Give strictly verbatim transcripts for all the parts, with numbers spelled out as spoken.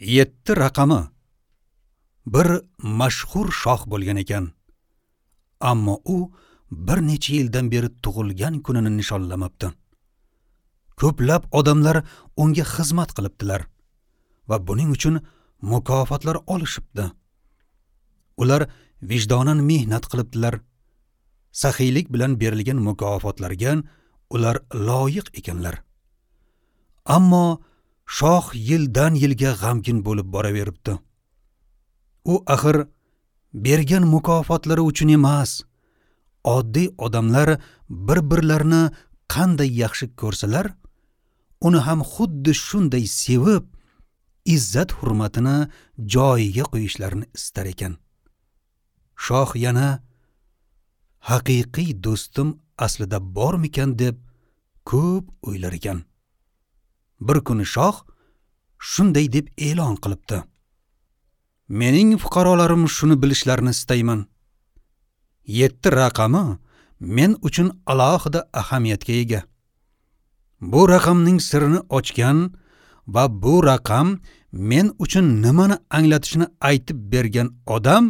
Yetti raqami bir mashhur shoh bo'lgan ekan. Ammo u bir necha yildan beri tug'ilgan kunini nishonlamabdi. Ko'plab odamlar unga xizmat qilibdilar va buning uchun mukofotlar olishibdi. Ular vijdonan mehnat qilibdilar. Saxiylik bilan berilgan mukofotlarga ular loyiq ekanlar. Ammo shoh yildan yilga g'amgin bo'lib boraveribdi. U axir bergan mukofotlari uchun emas, oddiy odamlar bir-birlarini qanday yaxshi ko'rsalar, uni ham xuddi shunday sevib, izzat hurmatini joyiga qo'yishlarini istar ekan. Shoh yana haqiqiy do'stim aslida bormikan deb ko'p o'ylar ekan. Bir kuni shoh shunday deb e'lon qilibdi: Mening fuqarolarim shuni bilishlarini istayman. Yetti raqami men uchun alohida ahamiyatga ega. Bu raqamning sirini ochgan va bu raqam men uchun nimani anglatishini aytib bergan odam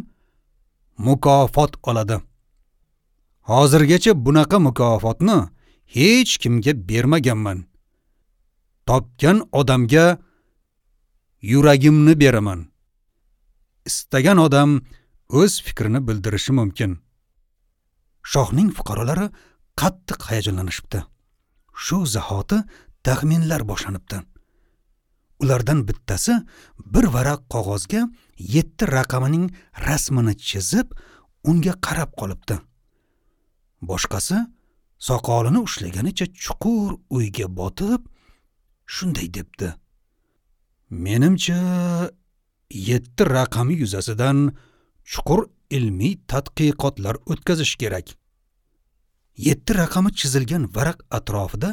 mukofot oladi. Hozirgacha bunaqa mukofotni hech kimga bermaganman. Topgan odamga yuragimni beraman. Istagan odam o'z fikrini bildirishi mumkin. Shohning fuqarolari qattiq hayajonlanishibdi. Shu zahoti taxminlar boshlanibdi. Ulardan bittasi bir varaq qog'ozga yetti raqamining rasmini chizib, unga qarab qolibdi. Boshqasi soqolini ushlaganicha chuqur o'yga botib, shunday debdi: Menimcha yetti raqami yuzasidan chuqur ilmiy tadqiqotlar o'tkazish kerak. Yetti raqami chizilgan varaq atrofida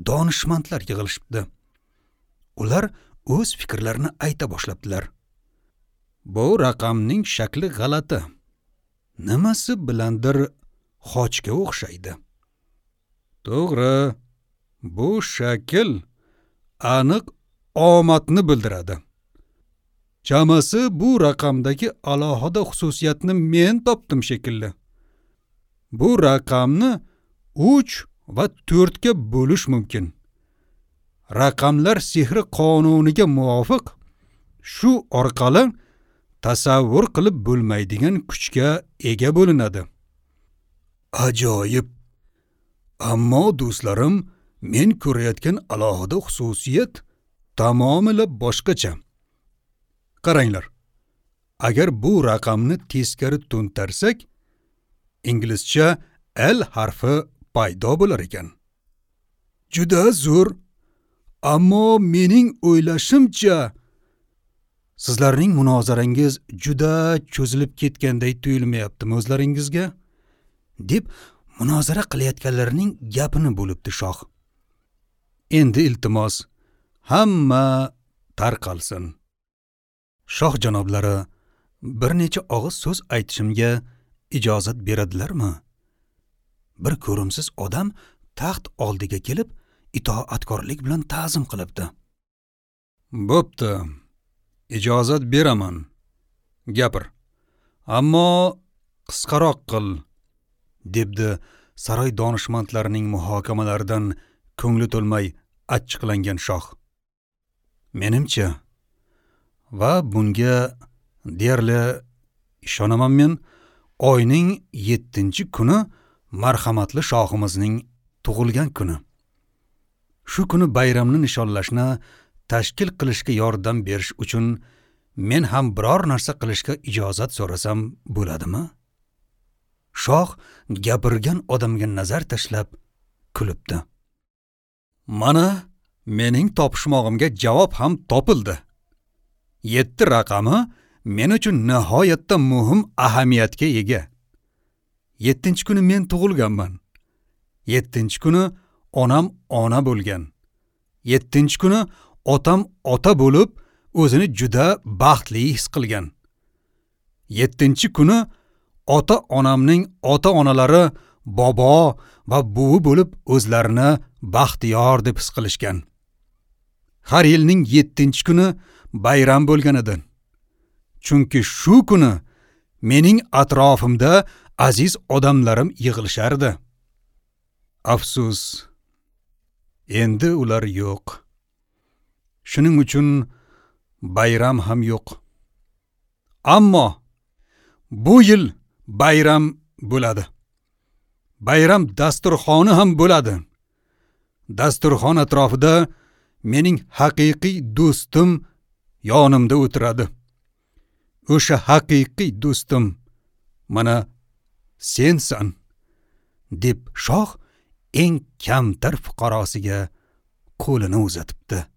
donishmandlar yig'ilishibdi. Ular o'z fikrlarini ayta boshlabdilar. Bu raqamning shakli g'alati. Nimasi bilandir xochga o'xshaydi. To'g'ri, bu shakl aniq omadni bildiradi. Chamasi bu raqamdagi alohida xususiyatni men topdim shekilli. Bu raqamni uch va to'rtga bo'lish mumkin. Raqamlar sehri qonuniga muvofiq shu orqali tasavvur qilib bo'lmaydigan kuchga ega bo'linadi. Ajoyib. Ammo do'stlarim, men ko'rayotgan alohida xususiyat tamomila boshqacha. Qaranglar. Agar bu raqamni teskari to'ntarsak, inglizcha L harfi paydo bo'lar ekan. Juda zo'r. Ammo mening o'ylashimcha sizlarning munozarangiz juda cho'zilib ketganday tuyulmayaptimi o'zlaringizga? Deb munozara qilayotganlarning gapini bo'libdi shoh. Endi iltimos, hamma tarqalsin. Shoh janoblari, bir necha og'iz so'z aytishimga ijozat beradilarmi? Bir ko'rimsiz odam taxt oldiga kelib, itoatkorlik bilan ta'zim qilibdi. Bo'pti, ijozat beraman. Gapir. Ammo qisqaroq qil, debdi saroy donishmandlarining muhokamalaridan ko'ngli to'lmay achchiqlangan shoh. Menimcha, va bunga deyarli ishonaman men, oyning yettinchi kuni marhamatli shohimizning tug'ilgan kuni. Shu kuni bayramni nishonlashni tashkil qilishga yordam berish uchun men ham biror narsa qilishga ijozat so'rasam bo'ladimi? Shoh gapirgan odamga nazar tashlab kulibdi. Mana mening topishmog'imga javob ham topildi. Yetti raqami men uchun nihoyatda muhim ahamiyatga ega. Yettinchi kuni men tug'ilganman. Yettinchi kuni onam ona bo'lgan. Yettinchi kuni otam ota bo'lib, o'zini juda baxtli his qilgan. Yettinchi kuni ota onamning ota onalari bobo va buvi bo'lib o'zlarini baxtiyor deb his qilishgan. Har yilning yettinchi kuni bayram bo'lgan edi. Chunki shu kuni mening atrofimda aziz odamlarim yig'ilishardi. Afsus, endi ular yo'q. Shuning uchun bayram ham yo'q. Ammo bu yil bayram bo'ladi. Bayram dasturxoni ham bo'ladi. Dasturxon atrofida mening haqiqiy do'stim yonimda o'tiradi. O'sha haqiqiy do'stim mana sensan, deb shoh eng kamtar fuqarosiga qo'lini uzatibdi.